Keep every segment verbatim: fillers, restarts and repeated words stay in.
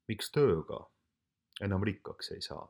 miks tööga enam rikkaks ei saa?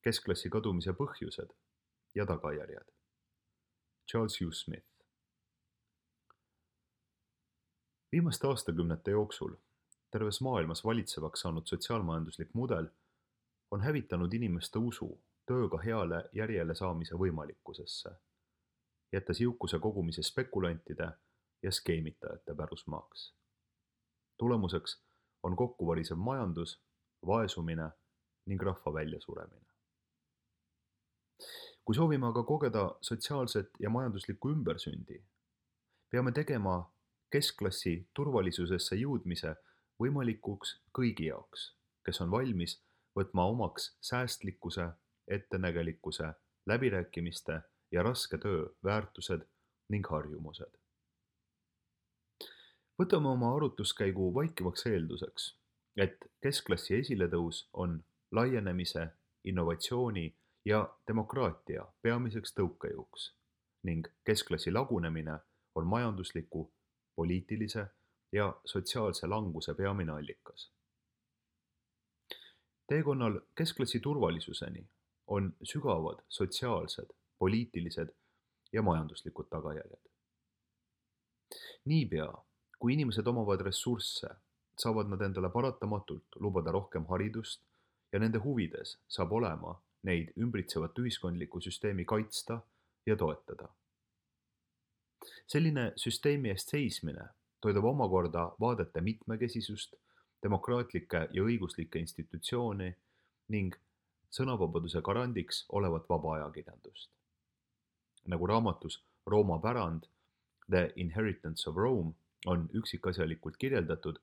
Keskklassi kadumise põhjused ja tagajärjed. Charles Hugh Smith. Viimaste aastakümnete jooksul terves maailmas valitsevaks saanud sotsiaalmajanduslik mudel on hävitanud inimeste usu tööga heale järjele saamise võimalikkusesse, jättes jõukuse kogumise spekulantide ja skeemitajate pärusmaaks. Tulemuseks on kokkuvarisev majandus, vaesumine ning rahva väljasuremine. Kui soovime aga kogeda sotsiaalset ja majanduslikku ümbersündi, peame tegema keskklassi turvalisusesse jõudmise võimalikuks kõigi jaoks, kes on valmis võtma omaks säästlikkuse, ettenägelikkuse, läbirääkimiste ja raske töö väärtused ning harjumused. Võtame oma arutluskäigu vaikivaks eelduseks, et keskklassi esiletõus on laienemise, innovatsiooni ja demokraatia peamiseks tõukejõuks ning keskklassi lagunemine on majandusliku, poliitilise ja sotsiaalse languse peamine allikas. Teekonnal keskklassi turvalisuseni on sügavad sotsiaalsed, poliitilised ja majanduslikud tagajärjed. Niipea, kui inimesed omavad ressursse, saavad nad endale paratamatult lubada rohkem haridust ja nende huvides saab olema neid ümbritsevat ühiskondliku süsteemi kaitsta ja toetada. Selline süsteemi eest seismine toidab omakorda vaadete mitmekesisust, demokraatlikke ja õiguslikke institutsioone ning sõnavabaduse garandiks olevat vaba ajakirjandust. Nagu raamatus Rooma pärand The Inheritance of Rome on üksikasjalikult kirjeldatud,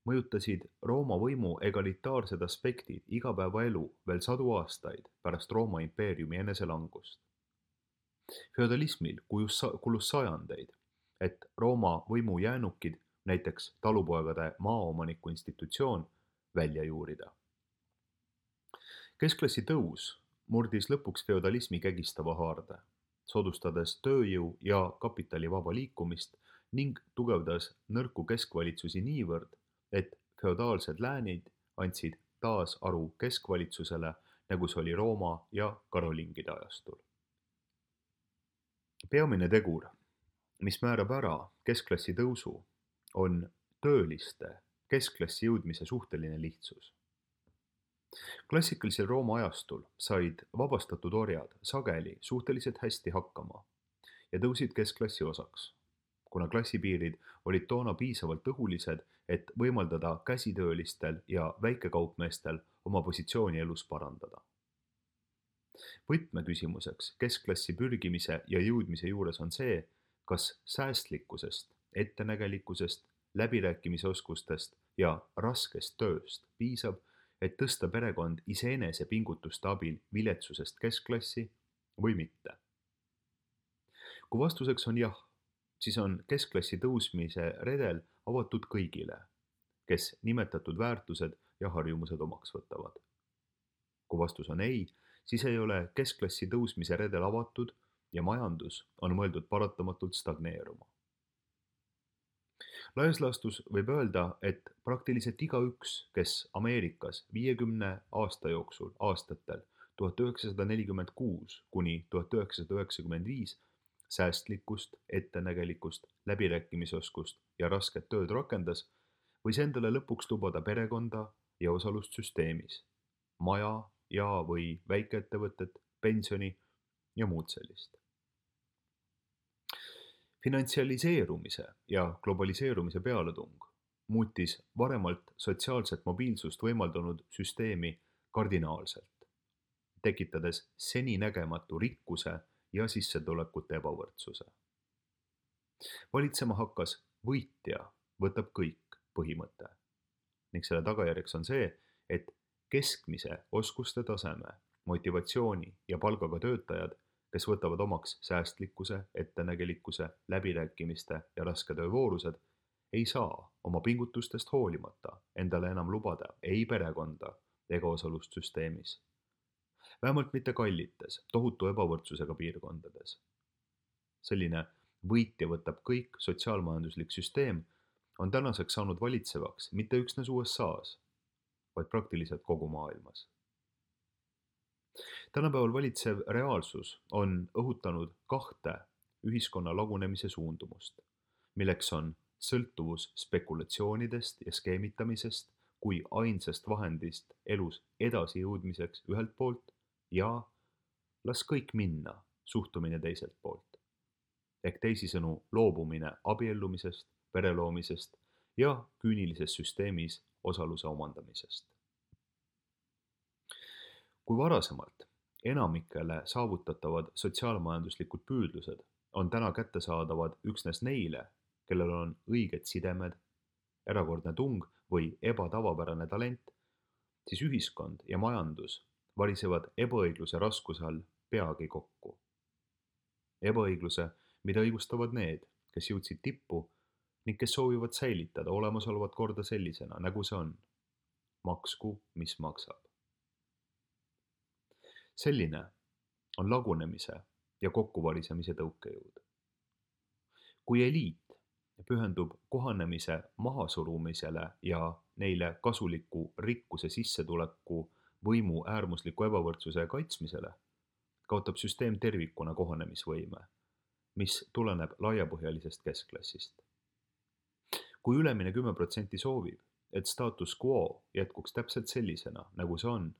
mõjutasid Rooma võimu egalitaarsed aspektid igapäevaelu veel sadu aastaid pärast Rooma impeeriumi eneselangust. Feodalismil kulus sajandeid, et Rooma võimu jäänukid, näiteks talupoegade maaomaniku institutsioon, välja juurida. Keskklassi tõus murdis lõpuks feodalismi kägistava haarde, soodustades tööjõu ja kapitali vaba liikumist ning tugevdas nõrku keskvalitsusi niivõrd, et feodaalsed läänid andsid taas aru keskvalitsusele, nagu see oli Rooma ja karolingide ajastul. Peamine tegur, mis määrab ära keskklassi tõusu, on tööliste keskklassi jõudmise suhteline lihtsus. Klassikalisel Rooma ajastul said vabastatud orjad sageli suhteliselt hästi hakkama ja tõusid keskklassi osaks, kuna klassipiirid olid toona piisavalt õhulised, et võimaldada käsitöölistel ja väikekaupmeestel oma positsiooni elus parandada. Võtmeküsimuseks keskklassi pürgimise ja jõudmise juures on see, kas säästlikkusest, ettenägelikkusest, läbirääkimisoskustest ja raskest tööst piisab, et tõsta perekond iseenese pingutuste abil viletsusest keskklassi või mitte. Kui vastuseks on jah, siis on keskklassi tõusmise redel avatud kõigile, kes nimetatud väärtused ja harjumused omaks võtavad. Kui vastus on ei, siis ei ole keskklassi tõusmise redel avatud ja majandus on mõeldud paratamatult stagneeruma. Laias laastus võib öelda, et praktiliselt igaüks, kes Ameerikas viiekümne aasta jooksul aastatel tuhat üheksasada nelikümmend kuus kuni tuhat üheksasada üheksakümmend viis säästlikkust, ettenägelikkust, läbirääkimisoskust ja rasket tööd rakendas, võis endale lõpuks lubada perekonda ja osalust süsteemis, maja ja või väikeettevõtet, pensioni ja muud sellist. Finantsialiseerumise ja globaliseerumise pealetung muutis varemalt sotsiaalset mobiilsust võimaldanud süsteemi kardinaalselt, tekitades seninägematu rikkuse ja sissetulekute ebavõrdsuse. Valitsema hakkas võitja võtab kõik põhimõte ning selle tagajärjeks on see, et keskmise oskuste taseme, motivatsiooni ja palgaga töötajad, kes võtavad omaks säästlikkuse, ettenägelikkuse, läbirääkimiste ja raske töövoorused, ei saa oma pingutustest hoolimata endale enam lubada ei perekonda ega osalust süsteemis. Vähemalt mitte kallites, tohutu ebavõrdsusega piirkondades. Selline võitja võtab kõik sotsiaalmajanduslik süsteem on tänaseks saanud valitsevaks mitte üksnes U S A-s, vaid praktiliselt kogu maailmas. Tänapäeval valitsev reaalsus on õhutanud kahte ühiskonna lagunemise suundumust, milleks on sõltuvus spekulatsioonidest ja skeemitamisest kui ainsast vahendist elus edasijõudmiseks ühelt poolt ja las kõik minna suhtumine teiselt poolt. Ehk teisisõnu loobumine abiellumisest, pereloomisest ja küünilises süsteemis osaluse omandamisest. Kui varasemalt enamikele saavutatavad sotsiaalmajanduslikud püüdlused on täna kättesaadavad üksnes neile, kellel on õiged sidemed, erakordne tung või ebatavapärane talent, siis ühiskond ja majandus varisevad ebaõigluse raskuse all peagi kokku. Ebaõigluse, mida õigustavad need, kes jõudsid tippu ning kes soovivad säilitada olemasolevat korda sellisena, nagu see on. Maksku, mis maksab. Selline on lagunemise ja kokkuvarisemise tõukejõud. Kui eliit pühendub kohanemise mahasurumisele ja neile kasuliku rikkuse sissetuleku võimu äärmusliku ebavõrdsuse kaitsmisele, kaotab süsteem tervikuna kohanemisvõime, mis tuleneb laiapõhjalisest keskklassist. Kui ülemine kümme protsenti soovib, et status quo jätkuks täpselt sellisena, nagu see on,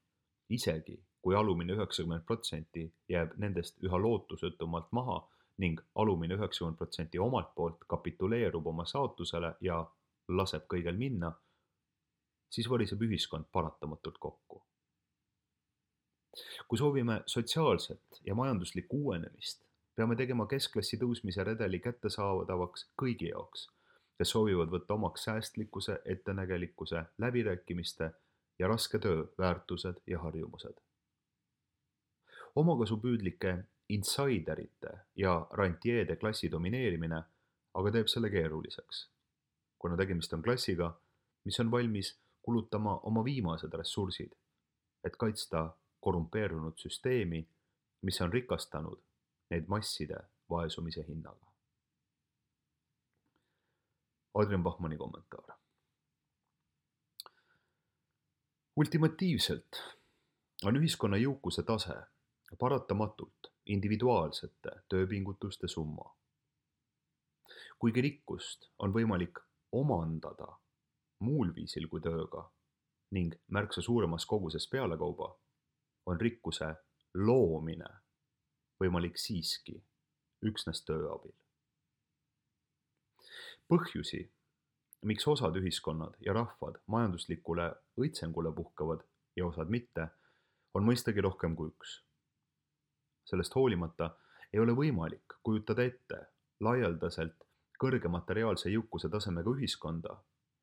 isegi kui alumine üheksakümmend protsenti jääb nendest üha lootusetumalt maha ning alumine üheksakümmend protsenti omalt poolt kapituleerub oma saatusele ja laseb kõigel minna, siis variseb ühiskond paratamatult kokku. Kui soovime sotsiaalset ja majanduslikku uuenemist, peame tegema keskklassi tõusmise redeli kättesaadavaks kõigi jaoks, kes soovivad võtta omaks säästlikkuse, ettenägelikkuse, läbirääkimiste ja raske töö väärtused ja harjumused. Omakasupüüdlike insaiderite ja rantjeede klassi domineerimine aga teeb selle keeruliseks, kuna tegemist on klassiga, mis on valmis kulutama oma viimased ressursid, et kaitsta korrumpeerunud süsteemi, mis on rikastanud neid masside vaesumise hinnaga. Adrian Bachmanni kommentaar. Ultimatiivselt on ühiskonna jõukuse tase paratamatult individuaalsete tööpingutuste summa. Kuigi rikkust on võimalik omandada muul viisil kui tööga ning märksa suuremas koguses pealekauba, on rikkuse loomine võimalik siiski üksnes töö abil. Põhjusi, miks osad ühiskonnad ja rahvad majanduslikule õitsengule puhkavad ja osad mitte, on mõistagi rohkem kui üks. Sellest hoolimata ei ole võimalik kujutada ette laialdaselt kõrge materiaalse jõukuse tasemega ühiskonda,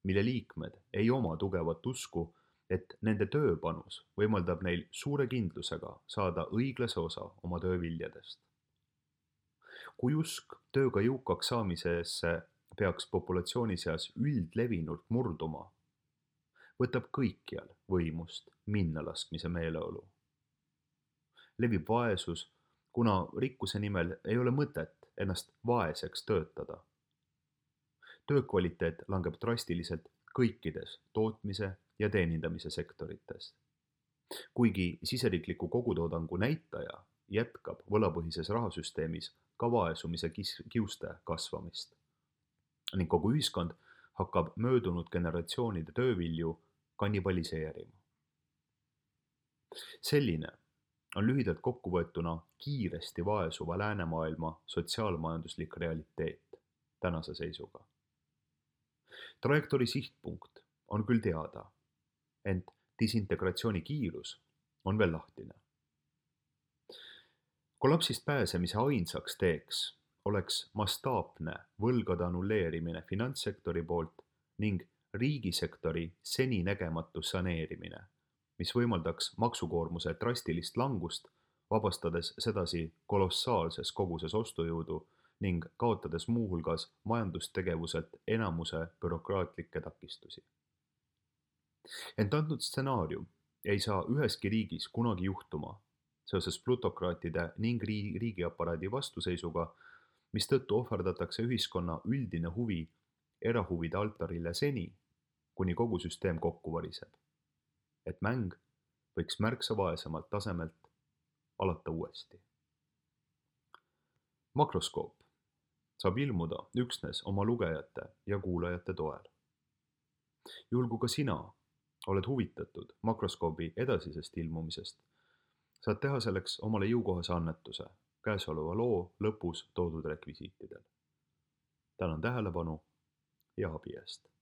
mille liikmed ei oma tugevat usku, et nende tööpanus võimaldab neil suure kindlusega saada õiglase osa oma tööviljadest. Kui usk tööga jõukaks saamisesse peaks populatsiooni seas üldlevinult murduma, võtab kõikjal võimust minnalaskmise meeleolu. Levib vaesus, kuna rikkuse nimel ei ole mõtet ennast vaeseks töötada. Töökvaliteet langeb drastiliselt kõikides tootmise ja teenindamise sektorites. Kuigi siseriikliku kogutoodangu näitaja jätkab võlapõhises rahasüsteemis ka vaesumise kiuste kasvamist ning kogu ühiskond hakkab möödunud generatsioonide töövilju kannibaliseerima. Selline on lühidalt kokkuvõetuna kiiresti vaesuva läänemaailma sotsiaalmajanduslik realiteet tänase seisuga. Trajektoori sihtpunkt on küll teada, ent disintegratsiooni kiirus on veel lahtine. Kollapsist pääsemise ainsaks teeks oleks mastaapne võlgade annulleerimine finantssektori poolt ning riigisektori seninägematu saneerimine, mis võimaldaks maksukoormuse drastilist langust, vabastades sedasi kolossaalses koguses ostujõudu ning kaotades muuhulgas majandustegevuselt enamuse bürokraatlikke takistusi. Ent antud stsenaarium ei saa üheski riigis kunagi juhtuma seoses plutokraatide ning riigiaparaadi vastuseisuga, mistõttu ohverdatakse ühiskonna üldine huvi erahuvide altarile seni, kuni kogu süsteem kokku variseb, et mäng võiks märksa vaesemalt tasemelt alata uuesti. Makroskoop saab ilmuda üksnes oma lugejate ja kuulajate toel. Juhul kui ka sina oled huvitatud makroskoobi edasisest ilmumisest, saad teha selleks omale jõukohase annetuse käesoleva loo lõpus toodud rekvisiitidel. Tänan tähelepanu ja abi eest!